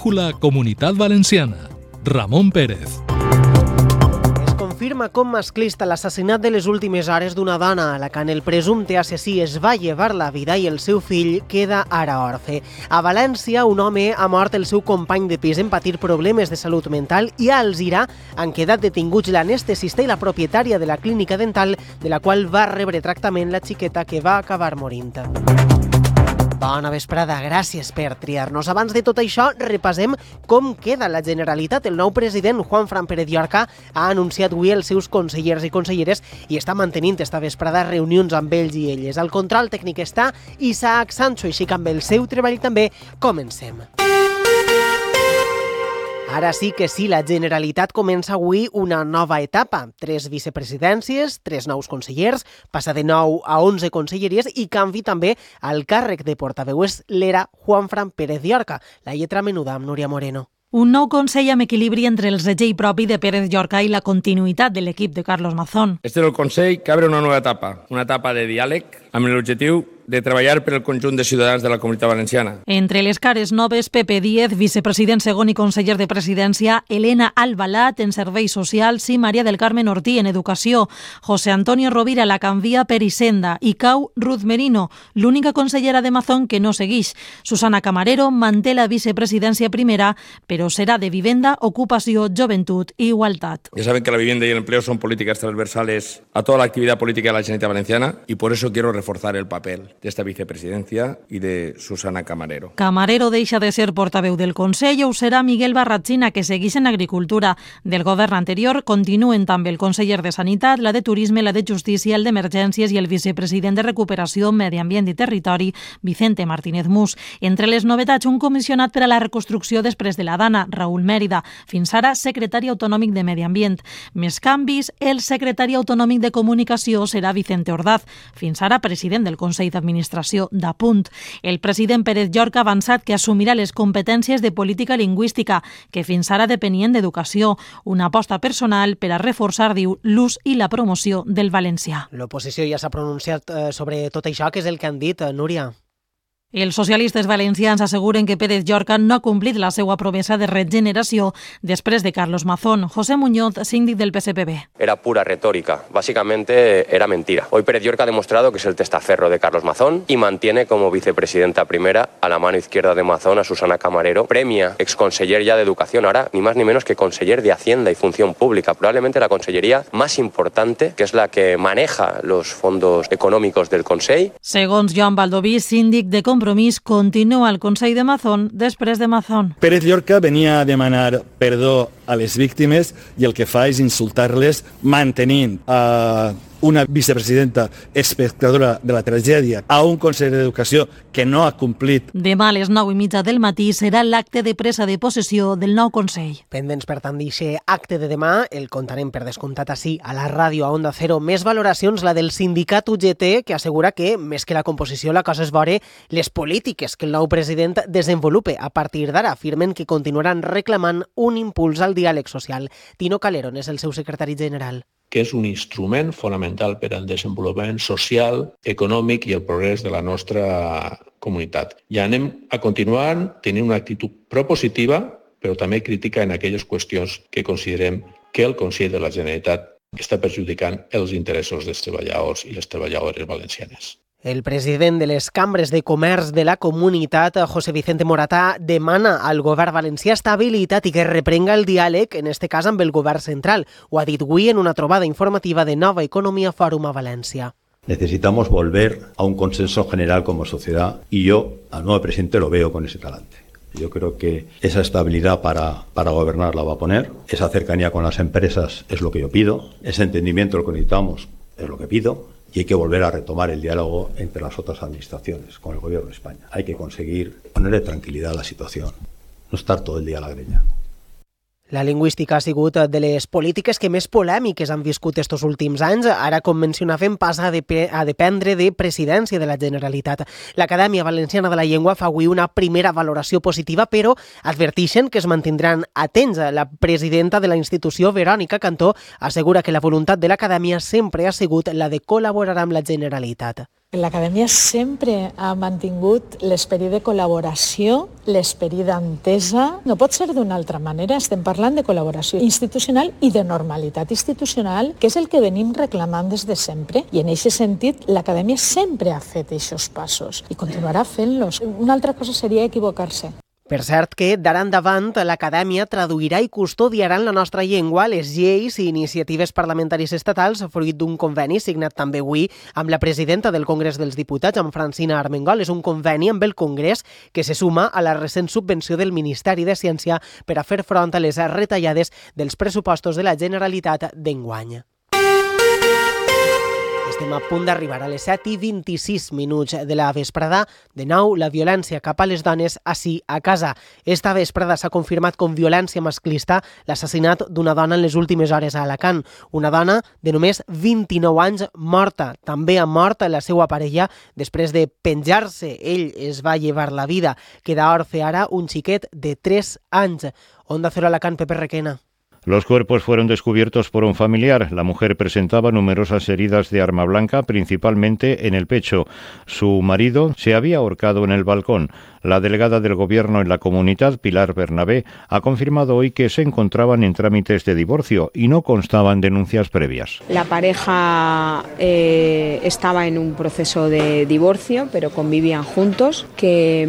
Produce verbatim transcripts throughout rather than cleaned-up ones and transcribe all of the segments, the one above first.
Brújula Comunitat Valenciana. Ramon Pérez. Confirma com masclista l'assassinat de les últimes hores d'una dona a la que el presumpte assassí es va llevar la vida i el seu fill queda ara orfe. A València, un home ha mort el seu company de pis en patir problemes de salut mental i a Alzira han quedat detinguts l'anestesista i la propietària de la clínica dental de la qual va rebre tractament la xiqueta que va acabar morint. Bona vesprada, gràcies per triar-nos. Abans de tot això, repassem com queda la Generalitat. El nou president, Juanfran Pérez Llorca, ha anunciat avui els seus consellers i conselleres i està mantenint esta vesprada reunions amb ells i elles. Al control tècnic està Isaac Sancho, així que amb el seu treball també comencem. Ara sí que sí, la Generalitat comença avui una nova etapa. Tres vicepresidències, tres nous consellers, passa de nou a onze conselleries i canvi també al càrrec de portaveu. És l'era Juanfran Pérez Llorca. La lletra menuda amb Núria Moreno. Un nou Consell amb equilibri entre el segell propi de Pérez Llorca i la continuïtat de l'equip de Carlos Mazón. Este és el Consell que obre una nova etapa, una etapa de diàleg amb l'objectiu de treballar per al conjunt de ciutadans de la Comunitat Valenciana. Entre les cares noves, Pepe Díez, vicepresident segon i conseller de Presidència, Elena Albalat en Serveis Socials i Maria del Carmen Ortí en Educació. José Antonio Rovira la canvia per Hisenda i cau Ruth Merino, l'única consellera de Mazón que no segueix. Susana Camarero manté la vicepresidència primera, però serà de Vivenda, Ocupació, Joventut i Igualtat. Ya saben que la vivienda y el empleo son políticas transversales a toda la actividad política de la Generalitat Valenciana y por eso quiero reforzar el papel de esta vicepresidencia y de Susana Camarero. Camarero deixa de ser portaveu del Consell i ho serà Miguel Barratxina, que segueix en Agricultura. Del govern anterior continuen també el conseller de Sanitat, la de Turisme, la de Justícia, el d'Emergències i el vicepresident de Recuperació, Medi Ambient i Territori, Vicente Martínez Mus. Entre les novetats, un comissionat per a la reconstrucció després de la Dana, Raúl Mèrida, fins ara secretari autonòmic de Medi Ambient. Més canvis, el secretari autonòmic de Comunicació serà Vicente Ordaz, fins ara president del Consell d'Administració d'Apunt. El president Pérez Llorca ha avançat que assumirà les competències de política lingüística, que fins ara depenien d'Educació, una aposta personal per a reforçar, diu, l'ús i la promoció del valencià. L'oposició ja s'ha pronunciat eh, sobre tot això, que és el que han dit, eh, Núria. Els socialistes valencians asseguren que Pérez Llorca no ha complit la seva promesa de regeneració després de Carlos Mazón. José Muñoz, síndic del P S P B. Era pura retórica. Básicamente era mentira. Hoy Pérez Llorca ha demostrado que es el testaferro de Carlos Mazón y mantiene como vicepresidenta primera a la mano izquierda de Mazón a Susana Camarero. Premia exconseller ya de Educación, ahora ni más ni menos que conseller de Hacienda y Función Pública. Probablemente la consellería más importante, que es la que maneja los fondos econòmics del Consell. Segons Joan Baldoví, síndic de Compromís, continua al Consell de Mazón després de Mazón. Pérez Llorca venia a demanar perdó a les víctimes i el que fa és insultar-les mantenint a una vicepresidenta espectadora de la tragèdia, a un conseller d'Educació que no ha complit. Demà a les nou i mitja del matí serà l'acte de presa de possessió del nou Consell. Pendents, per tant, d'aquest acte de demà, el contarem per descomptat així a la ràdio, a Onda Cero. Més valoracions, la del sindicat U G T, que assegura que, més que la composició, la cosa és veure les polítiques que el nou president desenvolupe. A partir d'ara, afirmen que continuaran reclamant un impuls al diàleg social. Tino Calero és el seu secretari general. Que és un instrument fonamental per al desenvolupament social, econòmic i el progrés de la nostra comunitat. I anem a continuar tenint una actitud propositiva, però també crítica en aquelles qüestions que considerem que el Consell de la Generalitat està perjudicant els interessos dels treballadors i les treballadores valencianes. El president de les cambres de comerç de la comunitat, José Vicente Moratà, demana al govern valencià estabilitat i que reprenga el diàleg, en este cas amb el govern central. Ho ha dit avui en una trobada informativa de Nova Economia Fòrum a València. Necesitamos volver a un consenso general como sociedad y yo al nuevo presidente lo veo con ese talante. Yo creo que esa estabilidad para, para gobernar la va a poner, esa cercanía con las empresas es lo que yo pido, ese entendimiento lo que necesitamos es lo que pido. Y hay que volver a retomar el diálogo entre las otras administraciones, con el Gobierno de España. Hay que conseguir ponerle tranquilidad a la situación, no estar todo el día a la greña. La lingüística ha sigut de les polítiques que més polèmiques han viscut estos últims anys. Ara, com mencionàvem, passa a dependre de presidència de la Generalitat. L'Acadèmia Valenciana de la Llengua fa avui una primera valoració positiva, però adverteixen que es mantindran atents. La presidenta de la institució, Verònica Cantó, assegura que la voluntat de l'Acadèmia sempre ha sigut la de col·laborar amb la Generalitat. L'acadèmia sempre ha mantingut l'esperit de col·laboració, l'esperit d'entesa. No pot ser d'una altra manera. Estem parlant de col·laboració institucional i de normalitat institucional, que és el que venim reclamant des de sempre. I en aquest sentit, l'acadèmia sempre ha fet aquests passos i continuarà fent-los. Una altra cosa seria equivocar-se. Per cert que, d'ara endavant, l'Acadèmia traduirà i custodiarà en la nostra llengua les lleis i iniciatives parlamentaris estatals fruit d'un conveni signat també avui amb la presidenta del Congrés dels Diputats, amb Francina Armengol. És un conveni amb el Congrés que se suma a la recent subvenció del Ministeri de Ciència per a fer front a les retallades dels pressupostos de la Generalitat d'enguany. Estem a punt d'arribar a les set i vint-i-sis minuts de la vesprada. De nou, la violència cap a les dones ací a casa. Esta vesprada s'ha confirmat com violència masclista l'assassinat d'una dona en les últimes hores a Alacant. Una dona de només vint-i-nou anys morta. També ha mort la seva parella després de penjar-se. Ell es va llevar la vida. Queda orfe ara un xiquet de tres anys. Onda Cero Alacant, Pepe Requena. Los cuerpos fueron descubiertos por un familiar. La mujer presentaba numerosas heridas de arma blanca, principalmente en el pecho. Su marido se había ahorcado en el balcón. La delegada del Gobierno en la comunidad, Pilar Bernabé, ha confirmado hoy que se encontraban en trámites de divorcio y no constaban denuncias previas. La pareja eh, estaba en un proceso de divorcio, pero convivían juntos, que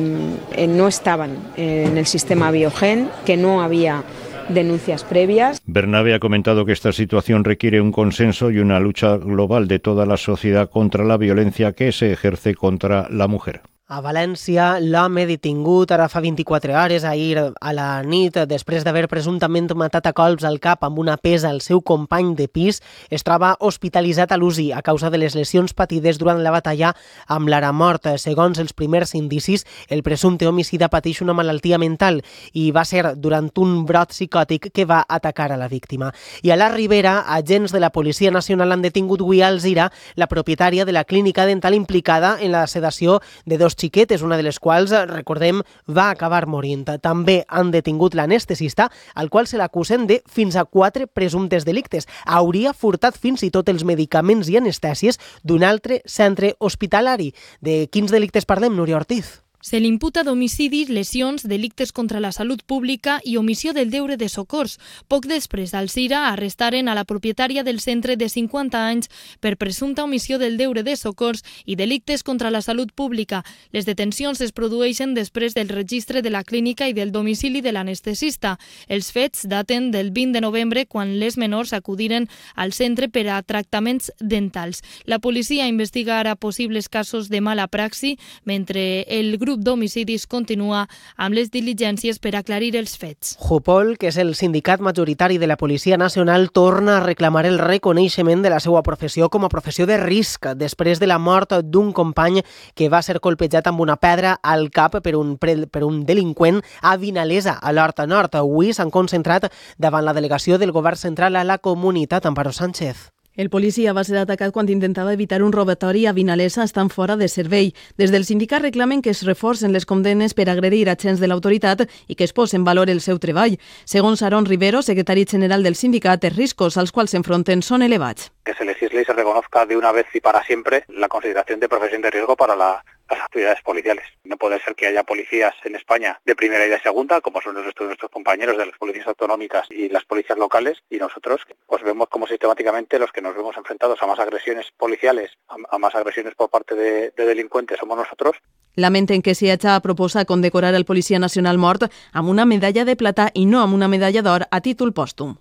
eh, no estaban en el sistema Biogen, que no había denuncias previas. Bernabé ha comentado que esta situación requiere un consenso y una lucha global de toda la sociedad contra la violencia que se ejerce contra la mujer. A València, l'home detingut ara fa vint-i-quatre hores, ahir a la nit, després d'haver presumptament matat a colps al cap amb una pesa al seu company de pis, es troba hospitalitzat a l'U C I a causa de les lesions patides durant la batalla amb l'ara mort. Segons els primers indicis, el presumpte homicida pateix una malaltia mental i va ser durant un brot psicòtic que va atacar a la víctima. I a la Ribera, agents de la Policia Nacional han detingut avui a Alzira, la propietària de la clínica dental implicada en la sedació de dos xiquetes, una de les quals, recordem, va acabar morint. També han detingut l'anestesista, al qual se l'acusen de fins a quatre presumptes delictes. Hauria furtat fins i tot els medicaments i anestèsies d'un altre centre hospitalari. De quins delictes parlem, Núria Ortiz? Se li imputa d'homicidis, lesions, delictes contra la salut pública i omissió del deure de socors. Poc després, al Alzira arrestaren a la propietària del centre de cinquanta anys per presumpta omissió del deure de socors i delictes contra la salut pública. Les detencions es produeixen després del registre de la clínica i del domicili de l'anestesista. Els fets daten del vint de novembre, quan les menors acudiren al centre per a tractaments dentals. La policia investiga ara possibles casos de mala praxi, mentre el grup d'homicidis continua amb les diligències per aclarir els fets. Jupol, que és el sindicat majoritari de la Policia Nacional, torna a reclamar el reconeixement de la seva professió com a professió de risc després de la mort d'un company que va ser colpejat amb una pedra al cap per un, per un delinqüent a Vinalesa, a l'Horta Nord. Avui s'han concentrat davant la delegació del Govern Central a la comunitat. Amparo Sánchez. El policia va ser atacat quan intentava evitar un robatori a Vinalesa estant fora de servei. Des del sindicat reclamen que es reforcen les condemnes per agredir agents de l'autoritat i que es posi en valor el seu treball. Segons Aaron Rivero, secretari general del sindicat, els riscos als quals s'enfronten són elevats. Que se legisle y se reconozca de una vez y para siempre la consideración de profesión de riesgo para la las actividades policiales. No puede ser que haya policías en España de primera y de segunda, como son nuestros, nuestros compañeros de las policías autonómicas y las policías locales, y nosotros pues vemos como sistemáticamente los que nos vemos enfrentados a más agresiones policiales, a, a más agresiones por parte de, de delincuentes somos nosotros. Lamenten que s'hi hagi proposat condecorar el policia nacional mort amb una medalla de plata i no amb una medalla d'or a títol pòstum.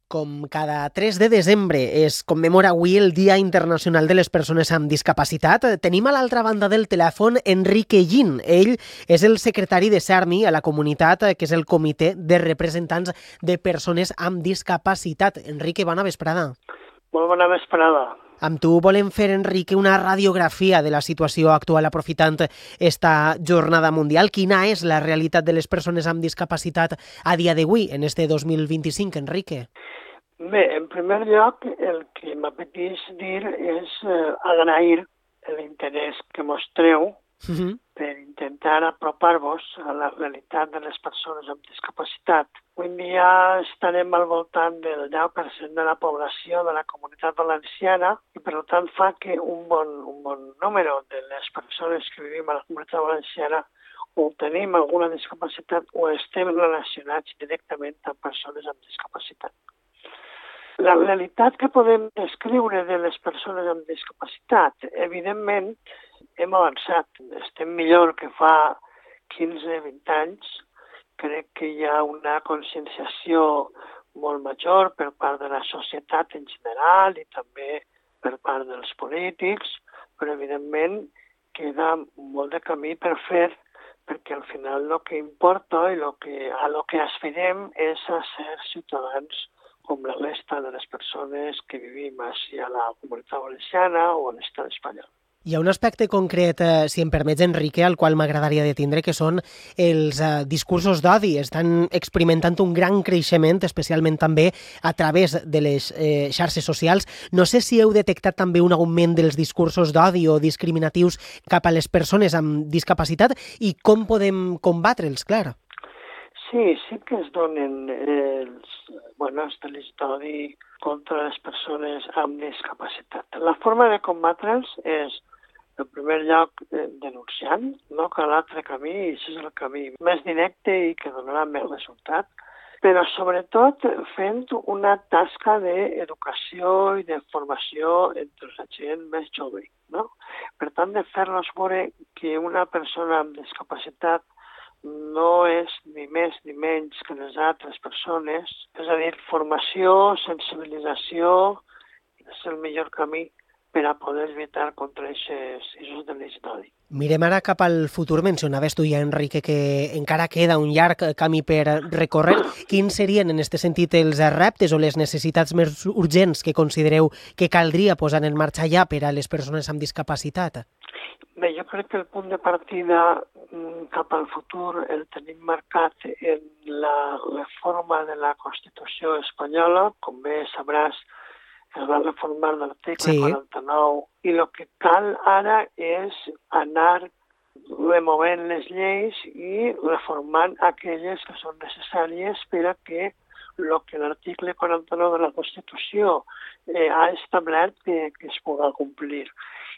Com cada tres de desembre es commemora avui el Dia Internacional de les Persones amb Discapacitat, tenim a l'altra banda del telèfon Enrique Gin. Ell és el secretari de CERMI a la comunitat, que és el Comitè de Representants de Persones amb Discapacitat. Enrique, bona vesprada. Molt bona vesprada. Amb tu volem fer, Enrique, una radiografia de la situació actual aprofitant esta jornada mundial. Quina és la realitat de les persones amb discapacitat a dia d'avui, en este dos mil vint-i-cinc, Enrique? Bé, en primer lloc, el que m'apeteix dir és eh, agrair l'interès que mostreu uh-huh. per intentar apropar-vos a la realitat de les persones amb discapacitat. Avui en dia estarem al voltant del deu per cent de la població de la Comunitat Valenciana i per tant fa que un bon, un bon número de les persones que vivim a la Comunitat Valenciana o tenim alguna discapacitat o estem relacionats directament amb persones amb discapacitat. La realitat que podem descriure de les persones amb discapacitat, evidentment, hem avançat. Estem millor que fa quinze vint anys. Crec que hi ha una conscienciació molt major per part de la societat en general i també per part dels polítics, però evidentment queda molt de camí per fer, perquè al final el que importa i lo que, a lo que aspirem és a ser ciutadans com la resta de les persones que vivim així a la Comunitat Valenciana o a l'estat espanyol. Hi ha un aspecte concret, eh, si em permets, Enrique, al qual m'agradaria detindre, que són els eh, discursos d'odi. Estan experimentant un gran creixement, especialment també a través de les eh, xarxes socials. No sé si heu detectat també un augment dels discursos d'odi o discriminatius cap a les persones amb discapacitat i com podem combatre'ls, clar. Sí, sí que es donen els, bueno, els delits d'odi contra les persones amb discapacitat. La forma de combatre'ls és, en primer lloc, eh, denunciant, no cal altre camí, i això és el camí més directe i que donarà més resultat, però sobretot fent una tasca d'educació i de formació entre la gent més jove, no? Per tant, de fer-los veure que una persona amb discapacitat no és ni més ni menys que les altres persones, és a dir, formació, sensibilització, és el millor camí per a poder lluitar contra aquests delits d'odi. Mirem ara cap al futur. Mencionaves tu ja, Enrique, que encara queda un llarg camí per recórrer. Quins serien, en aquest sentit, els reptes o les necessitats més urgents que considereu que caldria posar en marxa ja per a les persones amb discapacitat? Bé, jo crec que el punt de partida cap al futur el tenim marcat en la reforma de la Constitució espanyola. Com bé sabràs, es va reformar l'article sí. quaranta-nou i el que cal ara és anar removent les lleis i reformant aquelles que són necessàries per a que el que l'article quaranta-nou de la Constitució eh, ha establert que, que es pugui complir.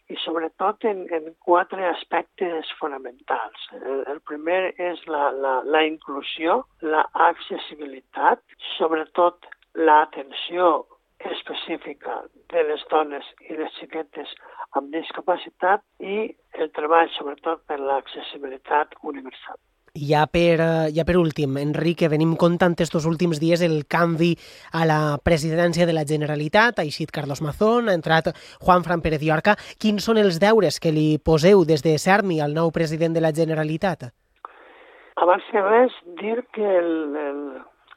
I sobretot en, en quatre aspectes fonamentals. El, el primer és la, la, la inclusió, la accessibilitat, sobretot l'atenció específica de les dones i les xiquetes amb discapacitat i el treball sobretot per l'accessibilitat universal. Ja per, ja per últim, Enrique, venim comptant estos últims dies el canvi a la presidència de la Generalitat, ha eixit Carlos Mazón, ha entrat Juanfran Pérez Llorca. Quins són els deures que li poseu des de Sermi al nou president de la Generalitat? Abans que res, dir que el, el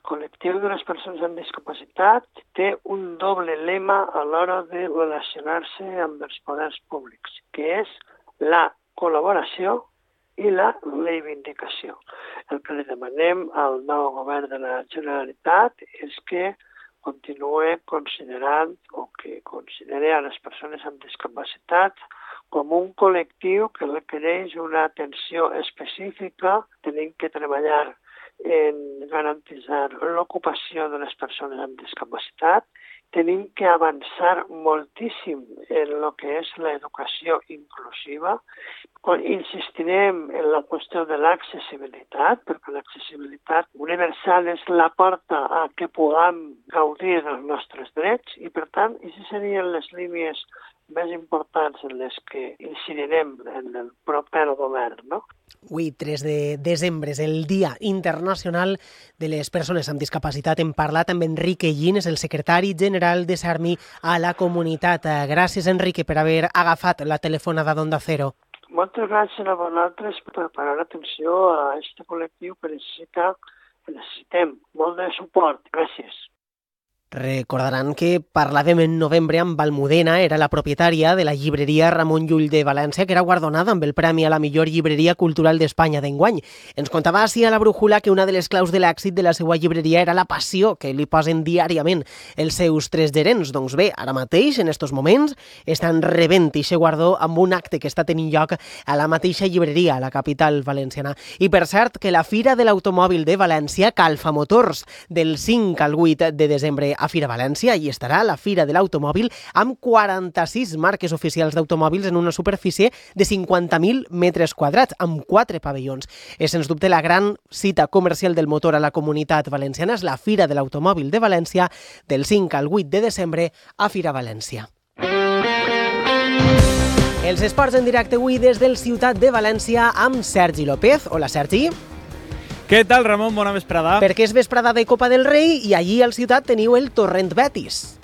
col·lectiu de les persones amb discapacitat té un doble lema a l'hora de relacionar-se amb els poders públics, que és la col·laboració i la reivindicació. El que li demanem al nou govern de la Generalitat és que continuï considerant o que consideri a les persones amb discapacitat com un col·lectiu que requereix una atenció específica. Tenim que treballar en garantir l'ocupació de les persones amb discapacitat. Tenim que avançar moltíssim en el que és l'educació inclusiva. Insistirem en la qüestió de l'accessibilitat, perquè l'accessibilitat universal és la porta a que puguem gaudir dels nostres drets i, per tant, aquestes serien les línies més importants en les que incidirem en el proper govern, no? Avui, tres de desembre, és el Dia Internacional de les Persones amb Discapacitat. Hem parlat amb Enrique Gines, el secretari general de Sermi a la comunitat. Gràcies, Enrique, per haver agafat la telefonada d'Onda Cero. Moltes gràcies a vosaltres per parar atenció a aquest col·lectiu que necessita, que necessitem molt de suport. Gràcies. Recordaran que parlàvem en novembre amb Almudena, era la propietària de la llibreria Ramon Llull de València, que era guardonada amb el Premi a la millor llibreria cultural d'Espanya d'enguany. Ens contava així a la Brújula que una de les claus de l'èxit de la seva llibreria era la passió que li posen diàriament els seus tres gerents. Doncs bé, ara mateix, en estos moments, estan rebent aquest guardó amb un acte que està tenint lloc a la mateixa llibreria, a la capital valenciana. I per cert, que la Fira de l'Automòbil de València, Calfa Motors, del cinc al vuit de desembre a Fira València, i estarà la Fira de l'Automòbil amb quaranta-sis marques oficials d'automòbils en una superfície de cinquanta mil metres quadrats, amb quatre pavellons. És, sens dubte, la gran cita comercial del motor a la comunitat valenciana. És la Fira de l'Automòbil de València del cinc al vuit de desembre a Fira València. Els esports en directe avui des del Ciutat de València amb Sergi López. Hola, Sergi. Què tal, Ramon? Bona vesprada. Perquè és vesprada de Copa del Rei i allí al Ciutat teniu el Torrent Betis.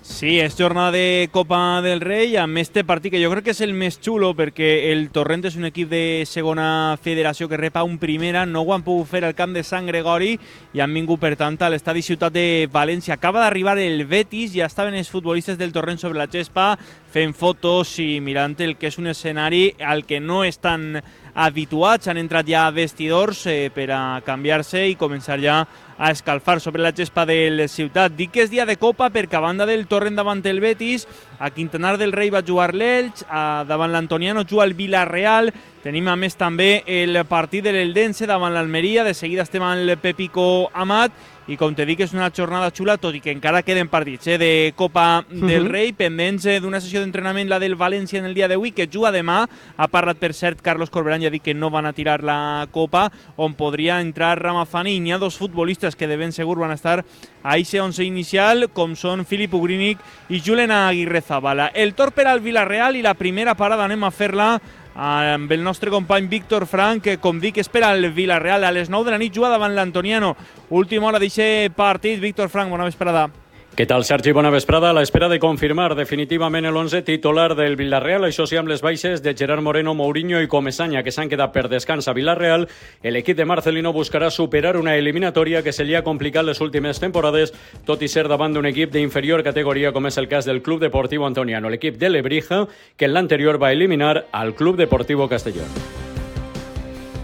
Sí, és jornada de Copa del Rei amb este partit que jo crec que és el més xulo perquè el Torrent és un equip de segona federació que rep a un primera, no ho han pogut fer al camp de Sant Gregori i han vingut per tant a l'estadi Ciutat de València. Acaba d'arribar el Betis, ja estaven els futbolistes del Torrent sobre la gespa fent fotos i mirant el que és un escenari al que no estan habituats, han entrat ja a vestidors eh, per a canviar-se i començar ja a escalfar sobre la gespa del Ciutat. Dic que és dia de Copa perquè a banda del Torrent davant el Betis, a Quintanar del Rei va jugar l'Elx, davant l'Antoniano juga el Villarreal, tenim a més també el partit de l'Eldense davant l'Almeria, de seguida estem amb el Pepico Amat, i com te dic és una jornada xula, tot i que encara queden partits eh, de Copa del Rei, uh -huh. pendents eh, d'una sessió d'entrenament, la del València en el dia d'avui, que juga demà. Ha parlat per cert Carlos Corberán, ja ha dit que no van a tirar la Copa, on podria entrar Ramazani, i n'hi ha dos futbolistes que de ben segur van a estar a eixe once inicial, com són Filip Ugrínic i Julen Aguirrezabala. El tor per al Villarreal i la primera parada anem a fer-la amb el nostre company Víctor Frank, que com dic espera el Villarreal a les nou de la nit, juga davant l'Antoniano. Última hora d'aquest partit. Víctor Frank, bona vesprada. Què tal, Sergi? Bona vesprada. A l'espera de confirmar definitivament l'onze titular del Villarreal, això sí, amb les baixes de Gerard Moreno, Mourinho i Comesaña, que s'han quedat per descans a Villarreal, l'equip de Marcelino buscarà superar una eliminatòria que se li ha complicat les últimes temporades, tot i ser davant d'un equip d'inferior categoria, com és el cas del Club Deportiu Antoniano, l'equip de Lebrija, que en l'anterior va eliminar al Club Deportiu Castelló.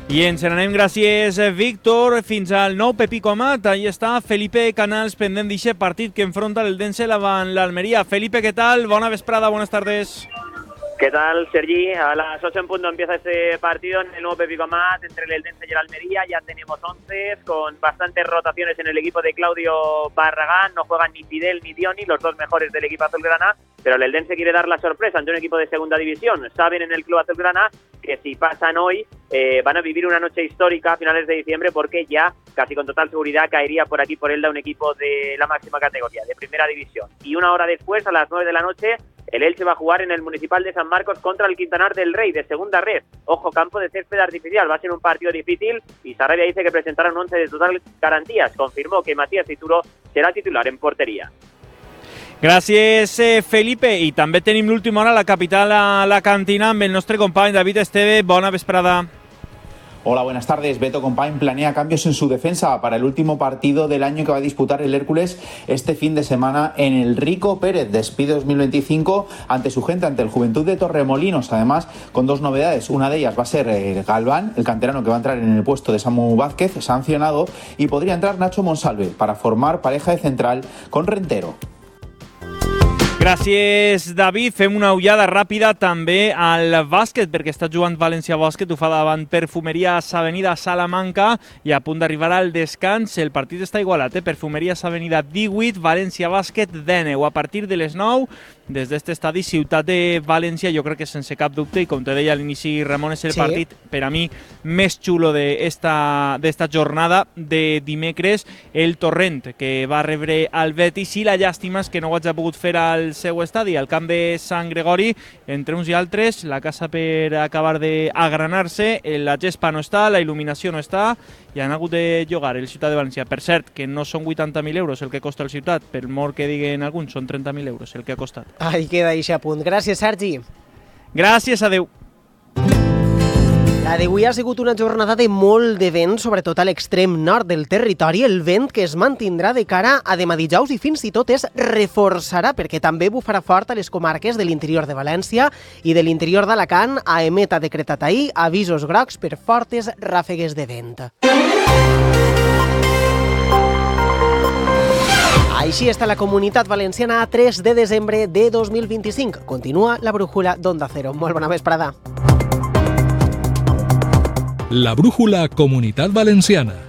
I ens n'anem, gràcies, Víctor. Fins al nou Pepico Amat. Ahí està Felipe Canals, pendent d'aquest partit que enfronta l'Eldense davant l'Almeria. Felipe, ¿qué tal? Bona vesprada, buenas tardes. ¿Qué tal, Sergi? A las ocho en punto empieza este partido en el nuevo Pepico Amat entre el Eldense y el Almería. Ya tenemos once, con bastantes rotaciones en el equipo de Claudio Barragán. No juegan ni Fidel ni Dioni, los dos mejores del equipo azulgrana, pero el Eldense quiere dar la sorpresa ante un equipo de segunda división. Saben en el club azulgrana que si pasan hoy eh, van a vivir una noche histórica a finales de diciembre, porque ya casi con total seguridad caería por aquí por Elda un equipo de la máxima categoría, de primera división. Y una hora después, a las nueve de la noche, el Elche va a jugar en el Municipal de San Marcos contra el Quintanar del Rey, de segunda red. Ojo, campo de césped artificial, va a ser un partido difícil y Sarabia dice que presentará un once de total garantías. Confirmó que Matías Tituro será titular en portería. Gràcies, eh, Felipe. I també tenim l'última hora a la capital, a la cantina, amb el nostre company David Esteve. Bona vesprada. Hola, buenas tardes. Beto Compañ planea cambios en su defensa para el último partido del año que va a disputar el Hércules este fin de semana en el Rico Pérez. Despide dos mil veinticinco ante su gente, ante el Juventud de Torremolinos. Además, con dos novedades. Una de ellas va a ser el Galván, el canterano que va a entrar en el puesto de Samu Vázquez, sancionado, y podría entrar Nacho Monsalve para formar pareja de central con Rentero. Gràcies, David. Fem una ullada ràpida també al bàsquet, perquè està jugant València Bàsquet, ho fa davant Perfumeries Avenida Salamanca i a punt d'arribar al descans. El partit està igualat, eh? Perfumeries Avenida divuit, València Bàsquet deu. A partir de les nou, des d'este estadi Ciutat de València, jo crec que sense cap dubte, i com te deia a l'inici, Ramon, és el sí. partit per a mi més xulo d'esta jornada de dimecres. El Torrent, que va rebre el Betis, i la llàstima és que no ho hagi pogut fer al seu estadi, al camp de Sant Gregori. Entre uns i altres, la casa per acabar d'agranar-se, la gespa no està, la il·luminació no està, i han hagut de llogar el Ciutat de València. Per cert, que no són vuitanta mil euros el que costa el Ciutat, per molt que diguen alguns, són trenta mil euros el que ha costat. Ahí queda eixe punt. Gràcies, Sergi. Gràcies, adeu. La d'avui ha sigut una jornada de molt de vent, sobretot a l'extrem nord del territori. El vent que es mantindrà de cara a demà dijous i fins i tot es reforçarà perquè també bufarà fort a les comarques de l'interior de València i de l'interior d'Alacant. AEMET ha decretat ahir avisos grocs per fortes ràfegues de vent. Així està la Comunitat Valenciana a tres de desembre de dos mil vint-i-cinc. Continua la brújula d'Onda Cero. Molt bona vesprada. La brújula Comunitat Valenciana.